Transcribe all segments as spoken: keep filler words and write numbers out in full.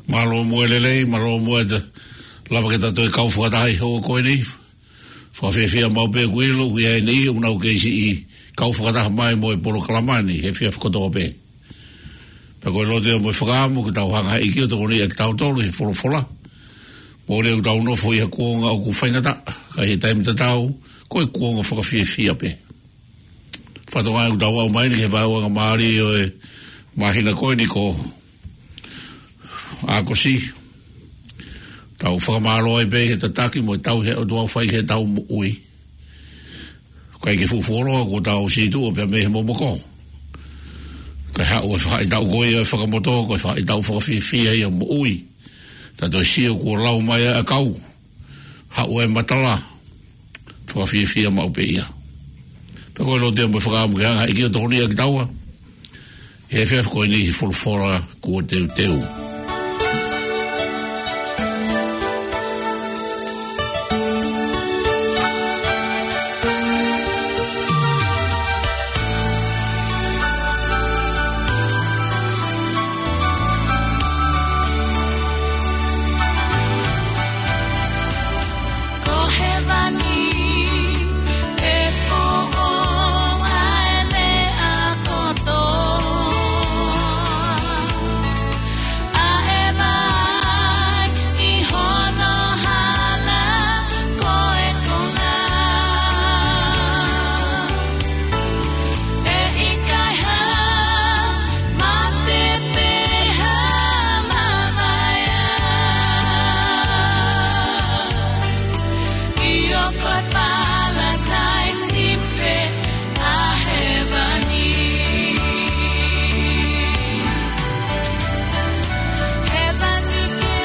Mālō muʻa e lelei, mālō muʻa e lava ke tau toe kau fakataha he houa ko eni. Fakafiefia maʻu pē ʻeku ʻilo, ʻoku ʻi ai e niʻihi ʻoku nau kei siʻi kau fakataha mai mo e polokalama ni he efiafi kotoa pē. Pea ko e lotu ia mo e fakaʻamu ke tau hanga ʻe he ʻEiki ʻo tokoniʻi kitautolu he folofola. Mole ʻoku tau nofo ʻi ha kuonga ʻoku faingataʻa, ka ʻi he taimi tatau, ko e kuonga fakafiefia pē. Fakatokangaʻi ʻoku tau aʻu mai eni ki he vaeuangamālie ʻo e māhina ko eni ko ʻAokosi. Tau fakamālō ai pē he tataki mo e tauhi ʻa e ʻOtua ʻoku fai ki heʻetau moʻui. ʻIkai ke fuʻu fuoloa kuo tau situʻa pea mei he momoko. Kae haʻu e faʻahitaʻu ko ia ʻo e fakamotu, ko e faʻahitaʻu fakafiefia ia ʻo e moʻui. Tau toe sio kuo lau mai ʻa e ʻakau. Haʻu e matala. Fakafiefia maʻu pē ia. Pea ko e lotu ia mo e fakaʻamu ke hanga ʻe he ʻEiki ʻo tokoniʻi kitaua he efiafi ko eni he folofola kuo teuteu. Ko hēvani ʻe foʻou ʻa e meʻa kotoa. ʻA e vai ʻi hono hala ko e konga. ʻE ʻikai ha mate pe ha mavaeʻa. ʻIo, ko e palataisi pē ʻa hēvani. Hēvani ke,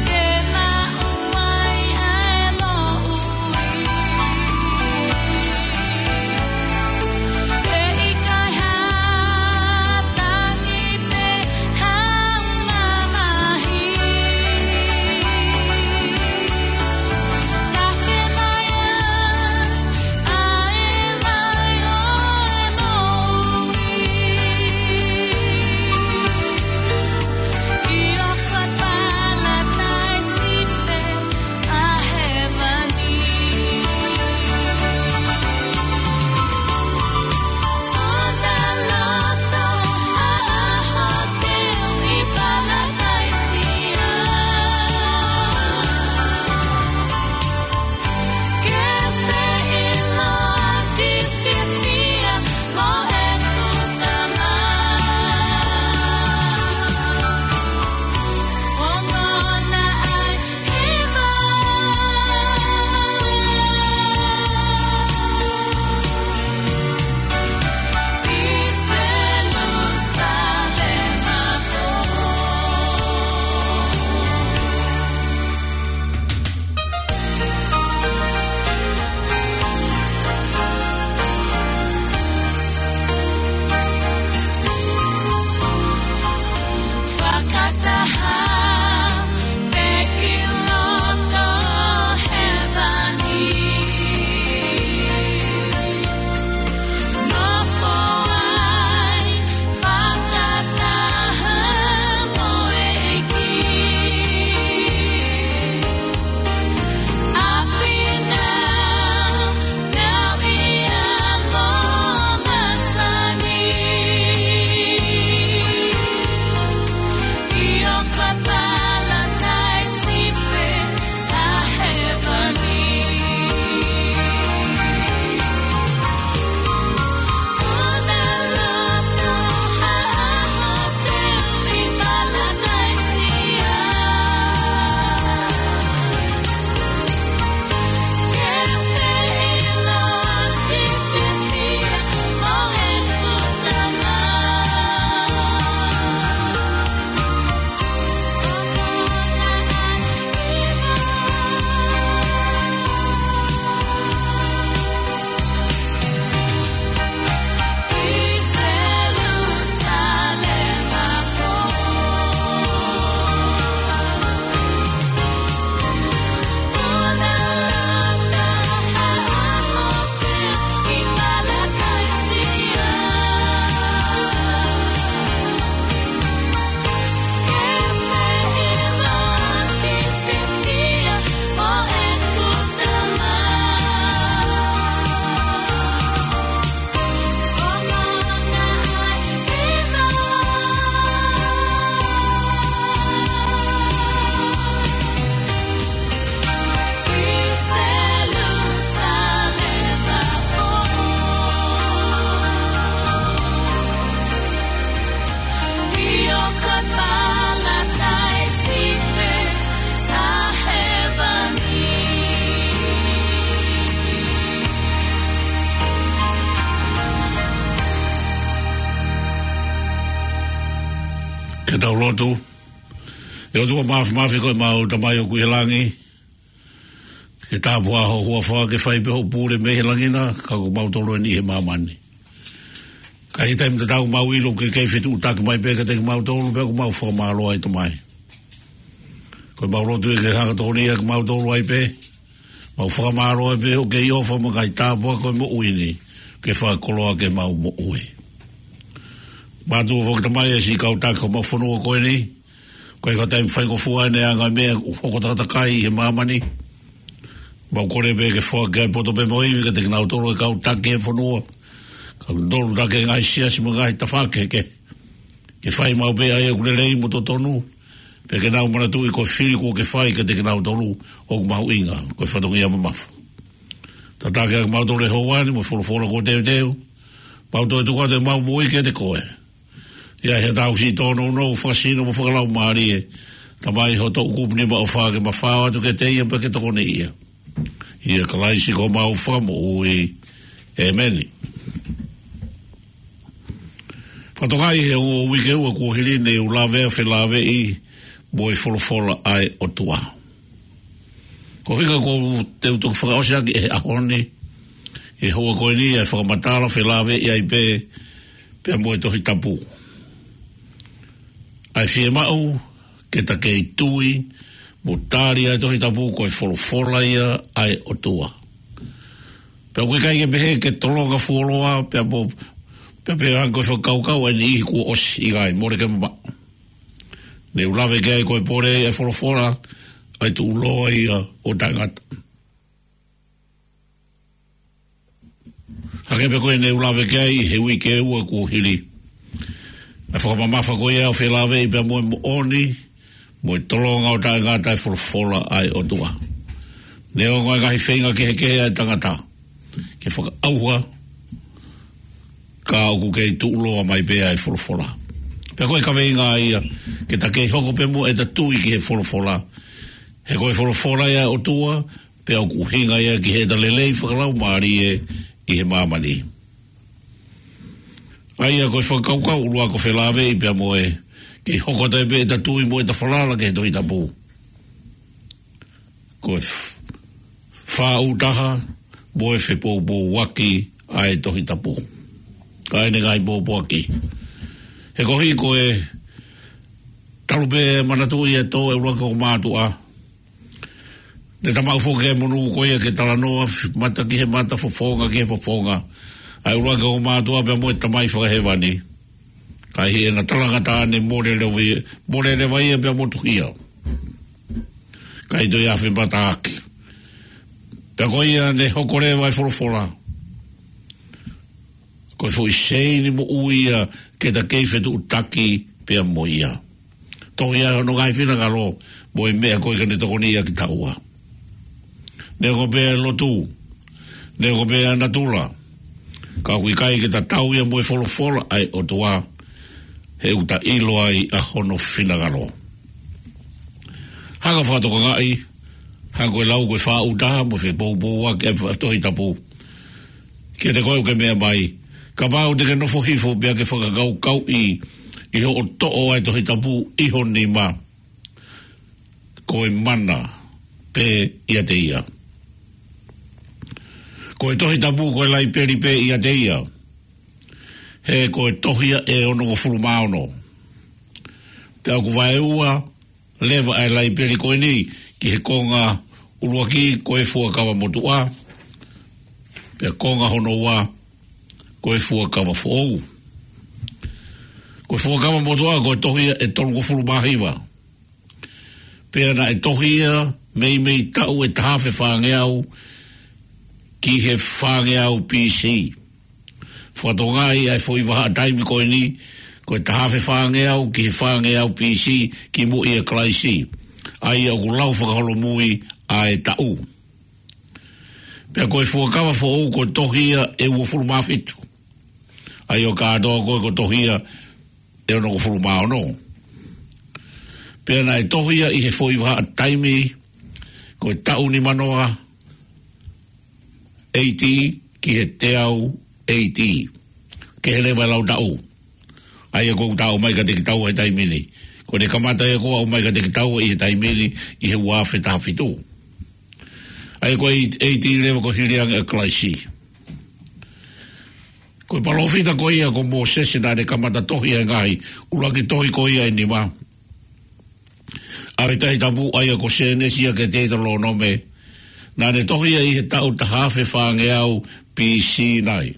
ke maʻu ai ʻa e moʻui. ʻE ʻikai ha tangi pe ha mamahi. Tafe mai Ke tau lotu. ʻE ʻOtua Māfimafi, ko ʻemau Tamai ʻoku ʻi he langi, ke tāpuhā ho huafa, ke fai pē hoʻo pule mei he langi na, ka ko mautolu eni ʻi he māmani. Ka ʻi he taimi tatau, mau ʻilo ʻoku ke kei fetuʻutaki mai pē kiate kimautolu, pea ʻoku mau fakamālō ai, Tamai. Ko ʻemau lotu ia ke hanga ʻo tokoniʻi kimautolu ai pē. Mau fakamālō ai pē ʻoku ke ʻofa mo e ngaahi tāpuaki ʻo e moʻui ni, ke fakakoloa ki heʻemau moʻui. Mātuʻa foki, Tamai, ʻa e siʻi kau taki ʻo homau fonua ko eni, ko e kau taimi faingofua ʻeni ʻa e ngaahi meʻa ʻoku hoko takatakai ʻi he māmani. Mau kole pē ke foaki ʻa e poto pē mo e ivi kiate kinautolu ʻa e kau taki ʻo e fonua, kinautolu ʻoku taki ʻi he ngaahi siasi mo e ngaahi tafaʻaki kehekehe, ke fai maʻu pē ʻa ia ʻoku lelei mo totonu, pea ke nau manatuʻi ko e fili kuo ke fai kiate kinautolu ʻoku mahuʻinga, ko e fatongia mamafa. Tataki ʻa kimautolu he houa ni mo e folofola kuo teuteu, mau toe tuku atu ʻemau moʻui kiate koe. ʻI ai haʻatau siʻi tōnounou fakasino mo fakalaumālie, Tamai, ho toʻukupu nima ʻofa ke mafao atu kiate ia pea ke tokoniʻi ia. ʻIa Kalaisi ko homau Fakamoʻui. ʻEmeni. Fakatokangaʻi, he ongo uike ua kuo hili, ne u lave ʻo felāveʻi mo e folofola ʻa e ʻOtua. Ko e ʻuhinga ʻoku ou teu toki fakaʻosi ʻaki ʻi he ʻaho ni, ʻi he houa ko eni, ʻa e fakamatala felāveʻi ai pē pea mo e Tohi Tapu. ʻA e fiemaʻu ke ta kei tui mo tali ʻa e Tohi Tapu ko e folofola ia ʻa e ʻOtua. Pea ʻoku ʻikai ke pehē ke tolonga fuoloa, pea mo, pea pehē ange ko e fakakaukau ʻa e niʻihi kuo ʻosi, ʻikai, mole ke mamaʻo. Ne u lave ki ai ko e pole ʻa e folofola, ʻa e tuʻuloa ia ʻo taʻengata. Hangē pē ko ia ne u lave ki ai he uike ua kuo hili, ʻa e fakamamafa ko ia ʻo felāveʻi pea mo e moʻoni, mo e tolonga ʻo taʻengata ʻa e folofola ʻa e ʻOtua. Neongo ʻa e ngaahi feinga kehekehe ʻa e tangata ke fakaʻauha, ka ʻoku kei tuʻuloa mai pē ʻa e folofola. Pea ko e kaveinga ia, ke ta kei hoko pē muʻa ʻeta tui ki he folofola. He ko e folofola ia ʻa e ʻOtua, pea ʻoku ʻuhinga ia ki heʻeta lelei fakalaumālie ʻi he māmani. ʻA ia ko e fakakaukau ʻuluaki ʻo felāveʻi pea mo e, kei hoko atu ai pē ʻeta tui mo ʻeta falala ki he Tohi Tapu. Ko e f-, fāʻūtaha mo e fepoupouaki ʻa e Tohi Tapu. Ka ʻi heʻene ngaahi pōpoaki. He ko e hā ko e talu pē manatuʻi ʻa e tō ʻa e ʻuluaki ongo mātuʻa. Ne ta maʻu foki ʻa e monū ko ia ke talanoa f-, mata ki he mata, fofonga ki he fofonga, ʻa e ʻuluaki ongo mātuʻa pea mo e Tamai Fakahēvani. Ka ʻi heʻena talangataʻa ne mole leva ia, mole leva ia pea motuhia. ʻIkai toe afe mata hake. Pea ko ia ne hoko leva ʻa e folofola. Ko e foʻi seini moʻui ia ke ta kei fetuʻutaki pea mo ia. Tohi ʻa hono ngaahi finangalo mo e meʻa ko ia ke ne tokoniʻi ʻa kitaua. Neongo pē ʻa e lotu, neongo pē ʻa e natula, ka ʻoku ʻikai ke ta tau ia mo e folofola ʻa e ʻOtua, he ʻoku ta ʻilo ai ʻa hono finangalo. Hanga ʻo fakatokangaʻi, hanga ko e lau ko e fāʻūtaha mo e fepoupouaki ʻa e fa-, Tohi Tapu. Kiate koe ʻoku ke meʻa mai, kapau te ke nofo hifo pea ke fakakaukauʻi ʻi hoʻo toʻo ʻa e Tohi Tapu ʻi ho nima, ko e mana pē ʻiate ia. Ko e Tohi Tapu ko e laipeli pē ʻiate ia. He ko e tohi ia ʻe onongofulu mā ono. Pea ʻoku vaeua leva ʻa e laipeli ko eni ki he konga ʻuluaki ko e Fuakava Motuʻa, pea konga hono ua ko e Fuakava Foʻou. Ko e Fuakava Motuʻa ko e tohi ia ʻe tolungofulu mā hiva. Pea naʻe tohi ia meimei taʻu ʻe taha afe fāngeau ki he fāngeau B C. Fakatokangaʻi ʻa e foʻi vahaʻa taimi ko eni, ko e taha afe fāngeau ki he fāngeau B C kimuʻa ʻia Kalaisi. ʻA ia ʻoku lau fakaholomui ʻa e taʻu. Pea ko e Fuakava Foʻou ko e tohi ia ʻe uofulu mā fitu. ʻA ia ʻo kātoa ko e ko e tohi ia ʻe onongofulu mā ono. Pea naʻe tohi ia ʻi he foʻi vahaʻa taimi, ko e taʻu nimanoa A D ki he teau A D. Kehe leva e lau taʻu. ʻA ia ʻoku ta ʻomai kiate kitaua he taimi ni. Ko ʻene kamata ia ko ē ʻo ʻomai kiate kitaua ʻi he taimi ni ʻi he ua afe taha fitu. ʻA ia ko e A D leva ko e hili ange ʻa Kalaisi. Ko e palōfita ko ia ko Mōsese naʻa ne kamata tohi ʻa e ngaahi ʻuluaki tohi ko ia ʻe nima ʻa e Tohi Tapu, ʻa ia ko Sēnesi ia ki he Teutalōnome. Naʻa ne tohi ia ʻi he taʻu taha afe fāngeau B C nai.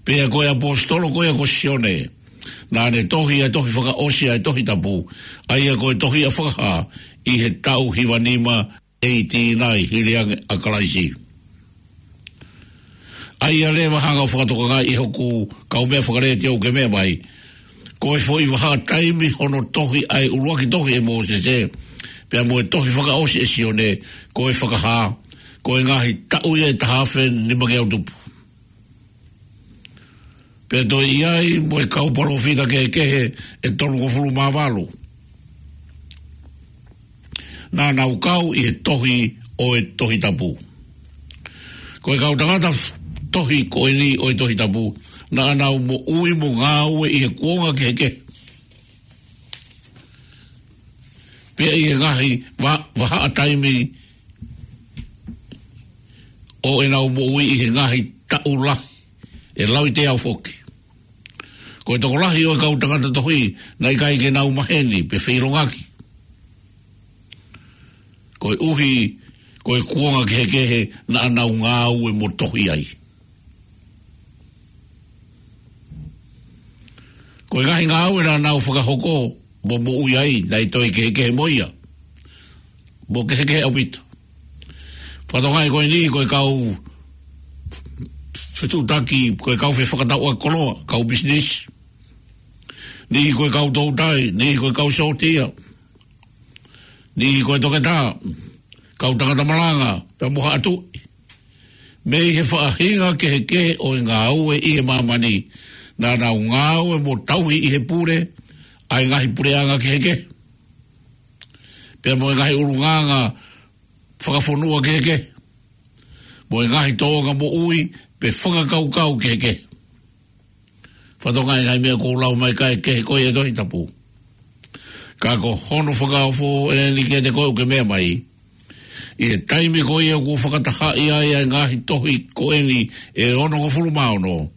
Pea ko e ʻaposetolo ko ia ko Sione, naʻa ne tohi ʻa e tohi fakaʻosi ʻa e Tohi Tapu, ʻa ia ko e Tohi ʻa Fakahā, ʻi he taʻu hiva nima A D nai, hili ange ʻa Kalaisi. ʻA ia leva hanga ʻo fakatokangaʻi ʻe hoku kaumeʻa fakalētio ʻoku ke meʻa mai, ko e foʻi vahaʻa taimi hono tohi ʻa e ʻuluaki tohi ʻe Mōsese, pea mo e tohi fakaʻosi ʻe Sione, ko e Fakahā, ko e ngaahi taʻu ia ʻe taha afe nimangeau tupu. Pea toe ʻi ai mo e kau palōfita kehekehe ʻe tolungofulu mā valu naʻa nau kau ʻi he tohi ʻo e Tohi Tapu. Ko e kau tangata f-, tohi ko eni ʻo e Tohi Tapu, naʻa nau moʻui mo ngāue ʻi he kuonga kehekehe. Pea ʻi he ngaahi va-, vahaʻa taimi ʻo ʻenau moʻui ʻi he ngaahi taʻu lahi, ʻe lauteau foki. Ko e tokolahi ʻo e kau tangata tohi, naʻe ʻikai ke nau maheni pe feʻilongaki, koeʻuhi ko e kuonga kehekehe naʻa nau ngāue mo tohi ai. Ko e ngaahi ngāue naʻa nau fakahoko mo moʻui ai, naʻe toe kehekehe mo ia, mo kehekehe ʻaupito. Fakatokangaʻi ko eni, ko e kau fetuʻutaki, ko e kau fefakatauʻaki koloa, kau pisinisi. Niʻihi ko e kau toutai, niʻihi ko e kau sōtia, niʻihi ko e toketā, kau tangata malanga, pea mo haʻa tuʻi. Mei he faʻahinga kehekehe ʻo e ngāue ʻi he māmani, naʻa nau ngāue mo tauhi ʻi he pule ʻa e ngaahi puleʻanga kehekehe, pea mo e ngaahi ʻulungaanga fakafonua kehekehe, mo e ngaahi tōʻonga moʻui pe fakakaukau kehekehe. Fakatokangaʻi e ngaahi meʻa kuo u lau mai, ʻikai ke kehe ko ia ʻi he Tohi Tapu. Ka ko hono fakaofo eni kiate koe ʻoku ke meʻa mai, ʻi he taimi ko ia kuo fakatahaʻi ai ʻa e ngaahi tohi ko eni ʻe onongofulu mā ono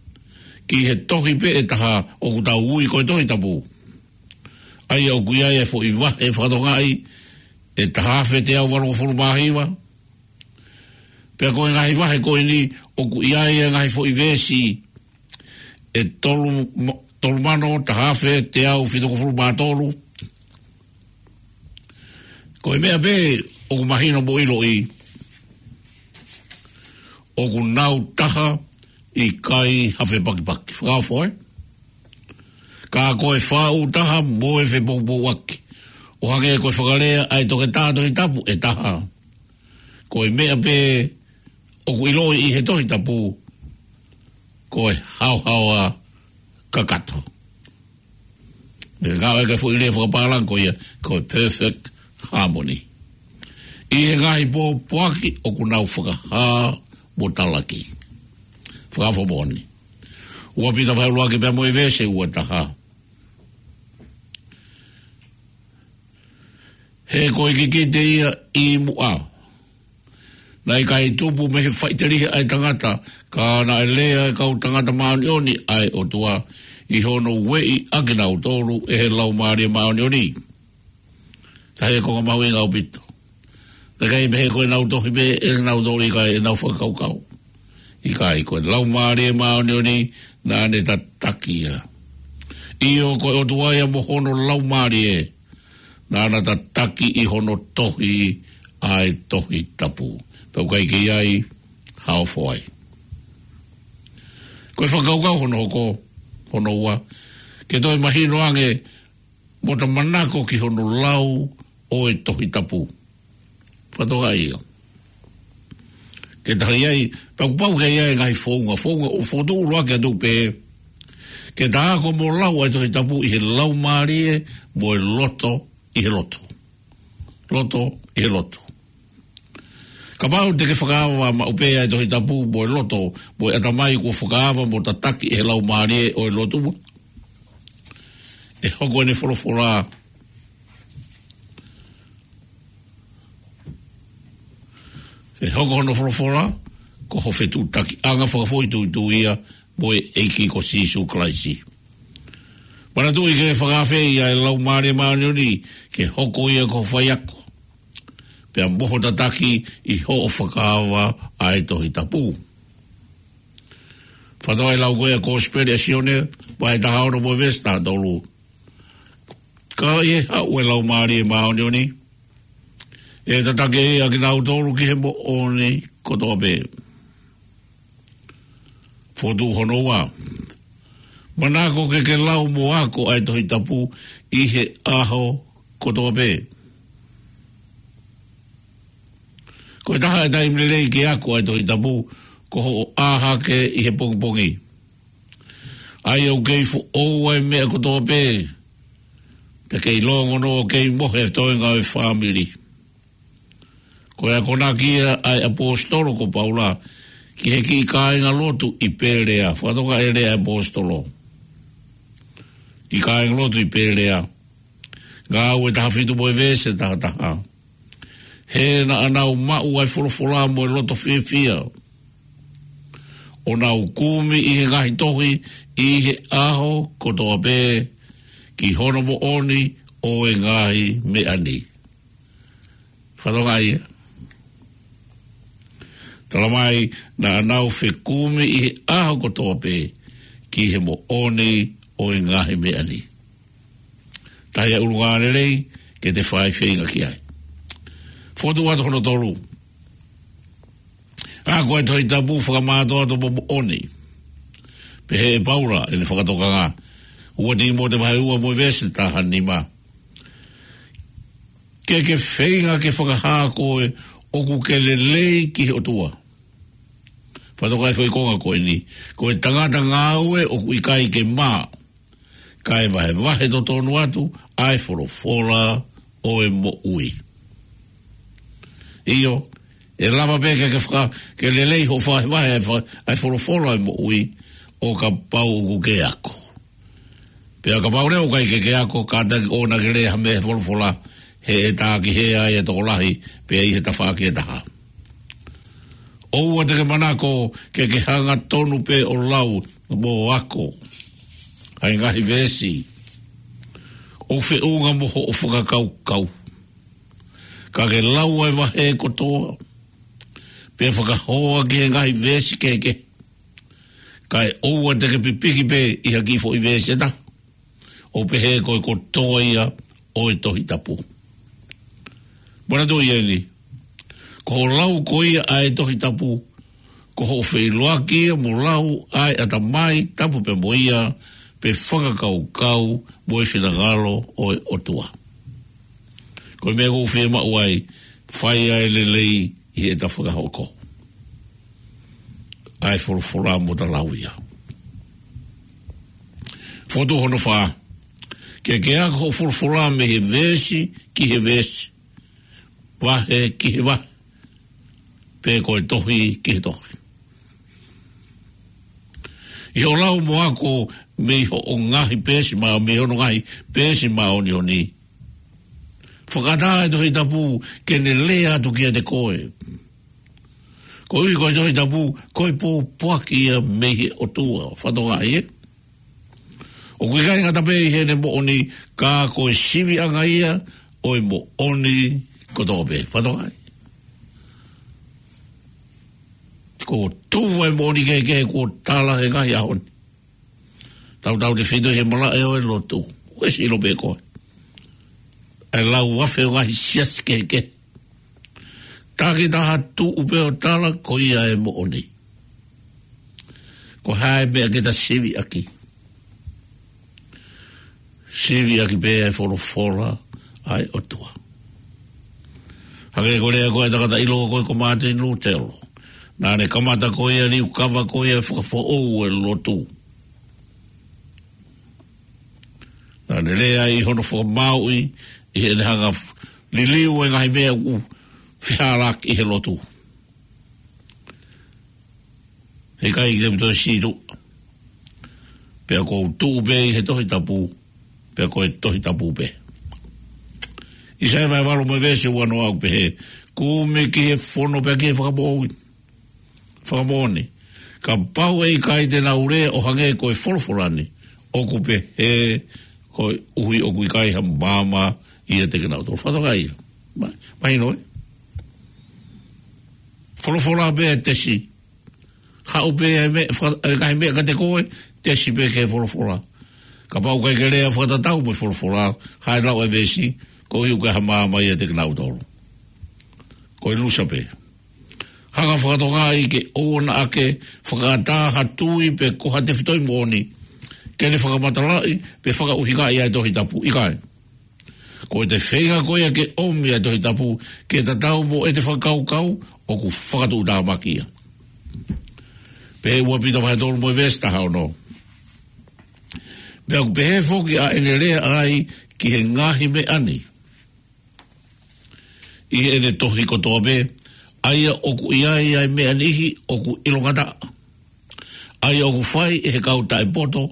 ki he tohi pē ʻe taha ʻoku tau ui ko e Tohi Tapu, ʻa ia ʻoku ʻi ai e foʻi vahe fakatokangaʻi ʻe taha afe teau valungofulu mā hiva. Pea ko e ngaahi vahe ko eni ʻoku ʻi ai e ngaahi foʻi veesi ʻe tolu ma-, tolu mano taha afe teau fitungofulu mā tolu. Ko e meʻa pē ʻoku mahino mo ʻiloʻi, ʻoku nau taha, ʻikai ha fepakipaki. Fakaofo, ē? Ka ko e faʻu taha mo e fepoupouaki, ʻo hangē ko e fakalea ʻa e toketā Tohi Tapu ʻe taha. Ko e meʻa pē ʻoku ʻiloʻi ʻi he Tohi Tapu, ko e haohaoa kakato. Meʻa ngāue ki he foʻi lea fakapālangi ko ia, ko e perfect harmony. ʻI he ngaahi pōpoaki ʻoku nau fakahā mo talaki. Fakaofo moʻoni. Ua Pita vahe ʻuluaki pea mo e veesi ua taha. He ko e kikite ia ʻi muʻa, naʻe ʻikai tupu mei he faʻiteliha ʻa e tangata, ka naʻe lea ʻa e kau tangata māʻoniʻoni ʻa e ʻOtua, ʻi hono ueʻi ʻa kinautolu ʻe he Laumālie Māʻoniʻoni. Tahi e konga mahuʻinga ʻaupito. Naʻe ʻikai mei he ko ʻenau tohi pē ʻe nautolu, ʻikai ʻenau fakakaukau. ʻIkai, ko e Laumālie Māʻoniʻoni naʻa ne tataki ia. ʻIo, ko e ʻOtua ia mo hono Laumālie naʻa na tataki ʻi hono tohi ʻa e Tohi Tapu. Pea ʻoku ʻikai ke ʻi ai ha ofo ai. Ko e fakakaukau hono hoko, hono ua, ke toe mahino ange mo ta manako ki hono lau ʻo e Tohi Tapu. Fakatokangaʻi ia. Ke taha ʻi ai, pea kuo pau ke ʻi ai e ngaahi founga, founga ʻoku fokotuʻu ʻuluaki atu pē, ke ta ako mo lau ʻa e Tohi Tapu ʻi he laumālie mo e loto ʻi he loto. Loto ʻi he loto. Kapau te ke fakaava maʻu pē ʻa e Tohi Tapu mo e loto, mo e ʻatamai kuo fakaava mo tataki ʻe he laumālie ʻo e lotu, ʻe hoko ʻene folofola, ʻe hoko hono folofola ko ho fetuʻutakiʻanga fakafoʻituitui ia mo e ʻEiki ko Sīsū Kalaisi. Manatuʻi ke fakaafeʻi ʻa e Laumālie Māʻoniʻoni ke hoko ia ko ho faiako, pea mo ho tataki ʻi hoʻo fakaava ʻa e Tohi Tapu. Fakatokangaʻi e lau ko ia ʻa e Kosipeli ʻa Sione, vahe taha ono mo e veesi taha tolu. Ka ʻi he haʻu ʻa e Laumālie Māʻoniʻoni, ʻe tataki ia kinautolu ki he moʻoni kotoa pē. Fokotuʻu hono ua. Manako ke ke lau mo ako ʻa e Tohi Tapu ʻi he ʻaho kotoa pē. Ko e taha e taimi lelei ke ako ʻa e Tohi Tapu, ko hoʻo ʻā hake ʻi he pongipongi. ʻAi ʻo kei foʻou ʻa e meʻa kotoa pē, pea kei longonoa ʻo kei mohe e toenga ʻo e fāmili. Ko e akonaki ia ʻa e ʻaposetolo ko Paula ki he kiʻi kāingalotu ʻi Pēlea. Fakatokangaʻi e lea ʻa e ʻaposetolo. Kiʻi kāingalotu ʻi Pēlea. Ngāue taha fitu mo e veesi taha taha. He naʻa nau maʻu ʻa e folofola mo e loto fiefia, ʻo nau kumi ʻi he ngaahi tohi ʻi he ʻaho kotoa pē ki hono moʻoni ʻo e ngaahi meʻa ni. Fakatokangaʻi ia. Talamai naʻa nau fekumi ʻi he ʻaho kotoa pē ki he moʻoni ʻo e ngaahi meʻa ni. Tahi ʻa e ʻulungaanga lelei ke te fai feinga ki ai. Fokotuʻu atu hono tolu. Ako ʻa e Tohi Tapu fakamātoato mo moʻoni. Pehē ʻe Paula ʻene fakatokanga. Ua Tīmote vahe ua mo e veesi taha nima. Ke ke feinga ke fakahā koe ʻoku ke lelei ki he ʻOtua. Fakatokangaʻi e foʻi konga ko eni. Ko e tangata ngāue ʻoku ʻikai ke mā, kae vahevahe totonu atu ʻa e folofola ʻo e moʻui. ʻIo, ʻe lava pē ke, ke faka-, ke lelei hoʻo vahevahe ʻa e fa-, ʻa e folofola ʻo e moʻui ʻo kapau ʻoku ke ako. Pea kapau leva ʻoku ʻikai ke ke ako, kātaki ʻoua naʻa ke lea ha meʻa he folofola, he ʻe tākihē ai e tokolahi, pea ʻi he tafaʻaki ʻe taha. ʻOua te ke manako ke ke hangatonu pē ʻo lau mo ako ʻa e ngaahi veesi ʻoku feʻunga mo hoʻo fakakaukau. Ka ke lau ʻa e vahe kotoa, pea fakahoa ki he ngaahi veesi kehekehe. Kae ʻoua te ke pipiki pē ʻi ha kiʻi foʻi veesi ʻe taha, ʻo pehē ko e kotoa ia ʻo e Tohi Tapu. Manatuʻi eni, ko hoʻo lau ko ia ʻa e Tohi Tapu, ko hoʻo feʻiloaki ia mo lau ʻa e ʻatamai tapu pē mo ia, pe fakakaukau mo e finangalo ʻo e ʻOtua. Ko e meʻa ʻoku ou fiemaʻu ai, fai ʻa e lelei ʻi heʻeta fakahoko ʻa e folofola mo ta lau ia. Fokotuʻu hono fā. Ke ke ako hoʻo folofola mei he veesi ki he veesi, vahe ki he vahe, pe ko e tohi ki he tohi. ʻI hoʻo lau mo ako mei hoʻo ngaahi peesi mā-, mei hono ngaahi peesi māʻoniʻoni, fakaʻatā e Tohi Tapu ke ne lea atu kiate koe. Koeʻuhi ko e Tohi Tapu, ko e pōpoaki ia mei he ʻOtua. Fakatokangaʻi ē. ʻOku ʻikai ngata pē ʻi heʻene moʻoni, ka ko e siviʻanga ia ʻo e moʻoni kotoa pē. Fakatokangaʻi. Ko e tuʻu ʻa e moʻoni kehekehe kuo tala he ngaahi ʻaho ni. Tautautefito he malaʻe ʻo e lotu. ʻOku ke ʻilo pē koe. ʻA e lau afe ʻo e ngaahi siasi kehekehe. Takitaha tuʻu pē ʻo tala ko ia e moʻoni. Ko e hā e meʻa ke ta siviʻaki? Siviʻaki pē ʻa e folofola ʻa e ʻOtua. Hangē ko e lea ko ē ʻa e tangata ʻiloa ko ē ko Mātini Lūtelo. Naʻa ne kamata ko ia liukava ko ia fakafoʻou e lotu. Naʻa ne lea ʻi hono fakamāuʻi, ʻi heʻene hanga f-, liliu e ngaahi meʻa ʻoku fehālaaki ʻi he lotu. He ʻikai ke u toe sītuʻa. Pea ʻoku ou tuʻu pē ʻi he Tohi Tapu. pea ko e Tohi Tapu pē. ʻAisea vahe valu mo e veesi uanoa ʻoku pehē, kumi ki he fono pea ki he fakamoʻui, fakamoʻoni. Kapau ʻe ʻikai te nau lea ʻo hangē ko e folofola ni, ʻoku pehē koeʻuhi ʻoku ʻikai ha maama ʻiate kinautolu. Fakatokangaʻi ia. Ma-, mahino ē? Folofola pē ʻa e tesi. Haʻu pē ʻa e meʻa, faka-, ʻa e ngaahi meʻa kiate koe, tesi pē ki he folofola. Kapau ʻoku ʻikai ke lea fakatatau mo e folofola, haʻu e lau ʻa e veesi, koeʻuhi ʻoku ʻikai ha maama ʻiate kinautolu. Ko e lusa pē. Hanga ʻo fakatokangaʻi ke ʻoua naʻa ke fakaʻatā ha tui pe ko ha tefitoʻi moʻoni ke ne fakamatalaʻi pe fakaʻuhingaʻi ʻa e Tohi Tapu. ʻIkai. Ko ʻete feinga ko ia ke ʻomi ʻa e Tohi Tapu ke tatau mo ʻete fakakaukau, ʻoku fakatuʻutāmaki ia. Pehē ʻe Ua Pita vahe tolu mo e veesi taha ono. Pea ʻoku pehē foki ʻa ʻene lea ʻa ia ki he ngaahi meʻa ni ʻi heʻene tohi kotoa pē, ʻa ia ʻoku ʻi ai ʻa e meʻa niʻihi ʻoku ʻilongataʻa, ʻa ia ʻoku fai ʻe he kau taʻepoto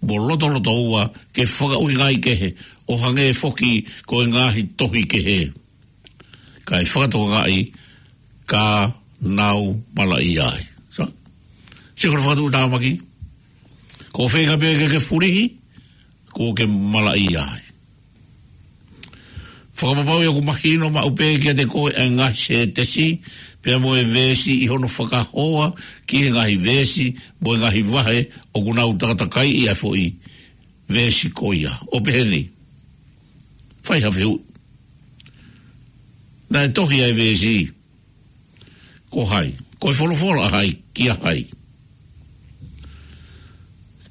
mo lotolotoua ke fakaʻuhingaʻi kehe, ʻo hangē foki ko e ngaahi tohi kehe, kae fakatokangaʻi ka nau malaʻia ai. Sa? Sio ko e fakatuʻutāmaki. Ko e feinga pē ke ke fulihi, kuo ke malaʻia ai. Fakapapauʻi ʻoku mahino maʻu pē kiate koe ʻa e ngaahi sētesi pea mo e veesi ʻi hono fakahoa ki he ngaahi veesi mo e ngaahi vahe ʻoku nau takatakaiʻi ʻa e foʻi veesi ko ia. ʻO pehē ni. Fai ha fehuʻi. Naʻe tohi ʻa e veesi. Ko hai? Ko e folofola ʻa hai kia hai?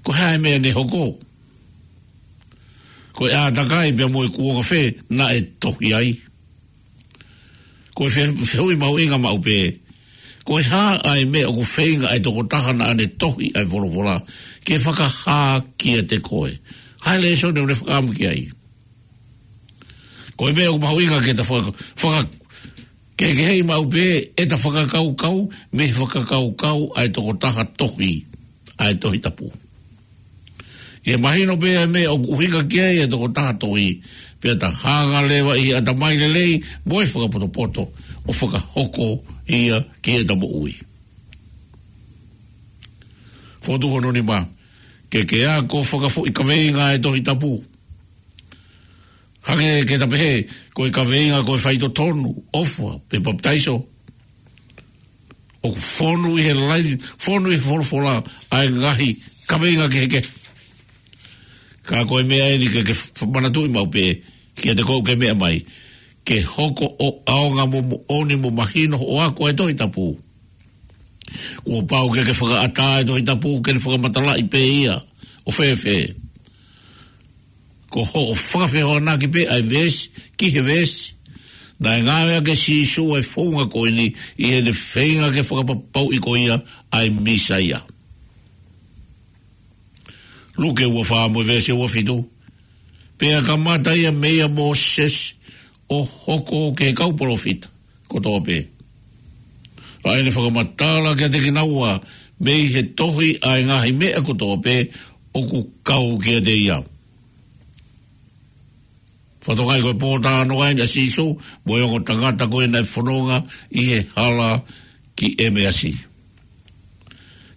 Ko e hā e meʻa ne hoko? Ko e ʻātakai pea mo e kuonga fē naʻe tohi ai? Ko e fe-, fehuʻi mahuʻinga maʻu pē. Ko e hā ʻa e meʻa ʻoku feinga ʻa e tokotaha naʻa ne tohi ʻa e folofola ke fakahā kiate koe? Hā e lēsoni ʻoku ne fakaʻamu ki ai? Ko e meʻa ʻoku mahuʻinga ke ta faka-, faka-, kehekeheʻi maʻu pē ʻeta fakakaukau mei he fakakaukau ʻa e tokotaha tohi ʻa e Tohi Tapu. ʻI he mahino pē ʻa e meʻa ʻoku ʻuhinga ki ai ʻa e tokotaha tohi, pea ta hanga leva ʻi he ʻatamai lelei mo e fakapotopoto ʻo fakahoko ia ki heʻeta moʻui. Fotu hono nima, ke ke ako fakafoʻi kaveinga ʻa e Tohi Tapu. Hangē ke ta pehē, ko e kaveinga ko e faitotonu, ʻofa, pe papitaiso. ʻOku fonu ʻi he lai, fonu ʻi he folofola ʻa e ngaahi kaveinga kehekehe. Ka ko e meʻa eni ke ke f-, manatuʻi maʻu pē, kiate koe ʻoku ke meʻa mai, ke hoko ʻo ʻaonga mo moʻoni mo mahino hoʻo ako ʻa e Tohi Tapu. Kuo pau ke ke fakaʻatā ʻa e Tohi Tapu ke ne fakamatalaʻi pē ia ʻo fēfē. Ko hoʻo fakafehoanaki pē ʻa e veesi ki he veesi. Naʻe ngāueʻaki ʻe Sīsū ʻa e founga ko eni ʻi heʻene feinga ke fakapapauʻi ko ia ʻa e Mīsaia. Luke ua fā mo e veesi ua fitu. Pea kamata ia meia Mōsese ʻo hoko ki he kau palōfita kotoa pē, ʻa ʻene fakamatala kiate kinaua mei he tohi ʻa e ngaahi meʻa kotoa pē ʻoku kau kiate ia. Fakatokangaʻi ko e pōtalanoa eni ʻa Sīsū mo e ongo tangata ko ē naʻe fononga ʻi he hala ki ʻEmeasi.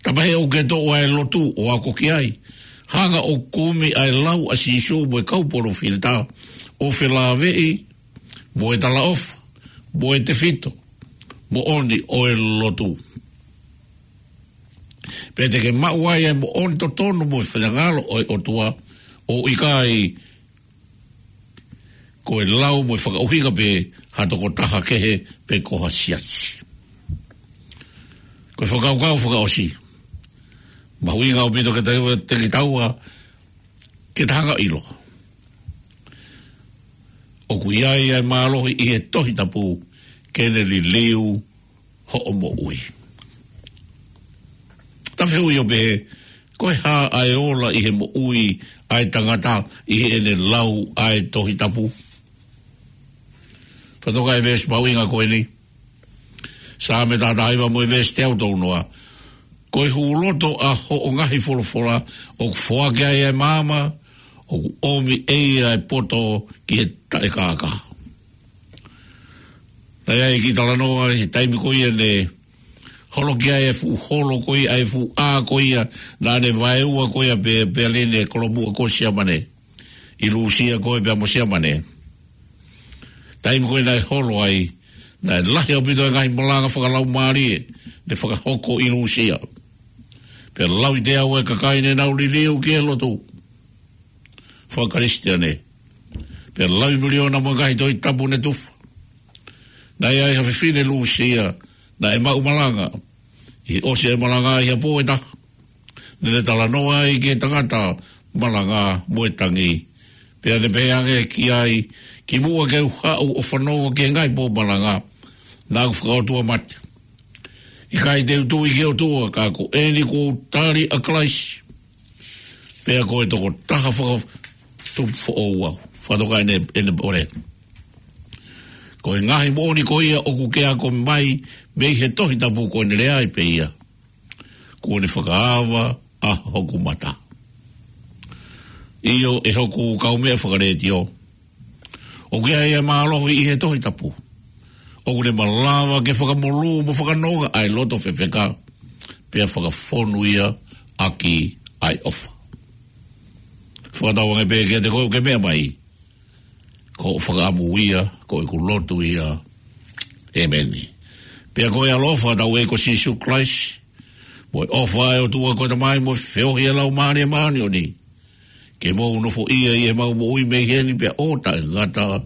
Tapa he ʻoku ke toʻo ʻa e lotu ʻo ako ki ai. Hanga ʻo kumi ʻa e lau ʻa Sīsū mo e kau palōfita ʻo felāveʻi mo e talaʻofa mo e tefito moʻoni ʻo e lotu. Pea te ke maʻu ai ʻa e moʻoni totonu mo e finangalo ʻo e ʻOtua, ʻo ʻikai ko e lau mo e fakaʻuhinga pē ha tokotaha kehe pe ko ha siasi. Ko e fakakaukau fakaʻosi. Mahuʻinga ʻaupito ke tau, te kitaua, ke ta hanga ʻilo ʻoku ʻi ai ʻa e mālohi ʻi he Tohi Tapu ke ne liliu hoʻo moʻui. Ta fehuʻi ʻo pehē, ko e hā ʻa e ola ʻi he moʻui ʻa e tangata ʻi heʻene lau ʻa e Tohi Tapu? Fakatokangaʻi e veesi mahuʻinga ko eni. Saame taha taha hiva mo e veesi teau tolu noa. Ko e hūloto ʻa hoʻo ngaahi folofola ʻoku foaki ai ʻa e maama, ʻo ʻoku ʻomi ʻe ia e poto ki he taʻekākā. Naʻe ʻi ai e kiʻi talanoa ʻi he taimi ko ia ne holoki ai e fuʻu holo ko ia, ʻa e fuʻu ʻā ko ia, naʻa ne vaeua ko ia pē, pea lele e kolomuʻa ko Siamane. ʻI Lūsia ko ē pea mo Siamane. Taimi ko ē naʻe holo ai, naʻe lahi ʻaupito e ngaahi malanga fakalaumālie ne fakahoko ʻi Lūsia. Pea lauitea ʻa e kakai ne nau liliu ki he lotu faka-Kalisitiane. Pea laui miliona mo e ngaahi Tohi Tapu ne tufa. Naʻe ʻi ai ha fefine Lūsia naʻe maʻu malanga. ʻI he ʻosi e malanga ʻi ha pō ʻe taha, ne ne talanoa ai ki he tangata malanga mo e tangi. Pea ne pehē ange ki ai, kimuʻa ke u haʻu ʻo fanongo ki he ngaahi pō malanga, naʻa ku fakaʻotua mate. ʻIkai te u tui ki he ʻOtua, ka ko eni kuo u tali ʻa Kalaisi. Pea ko e tokotaha fakatupu foʻou au. Fakatoka ʻene, ʻene pole. Ko e ngaahi moʻoni ko ia ʻoku ke ako mai mei he Tohi Tapu, ko ʻene lea ai pē ia. Kuo ne fakaava ʻa hoku mata. ʻIo, ʻe hoku kaumeʻa fakalētio, ʻoku ʻi ai e mālohi ʻi he Tohi Tapu. ʻOku ne malava ke fakamolū mo fakanonga ʻa e loto fefeka, pea fakafonu ia ʻaki ʻa e ʻofa. Fakatauange pē kiate koe ʻoku ke meʻa mai. Ko hoʻo fakaʻamu ia, ko ʻeku lotu ia. ʻĒmeni. Pea ko e ʻaloʻofa ʻa hotau ʻEiki ko Sīsū Kalaisi, mo e ʻofa ʻa e ʻOtua ko e Tamai, mo e feohi ʻa e Laumālie Māʻoniʻoni, ke mou nofoʻia ʻi heʻemau moʻui mei heni pea ʻo taʻengata.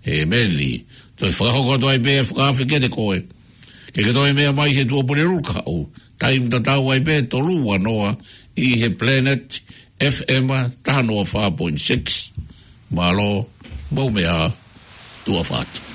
ʻĒmeni. Toe fakahoko atu ai pē e fakaafe kiate koe ke ke toe meʻa mai he tuʻa Pulelulu kahaʻu, taimi tatau ai pē, tolu ua noa, ʻi he Planet F M taha noa fā point six. Mālō, mou meʻa ā, tuʻa ʻofa atu.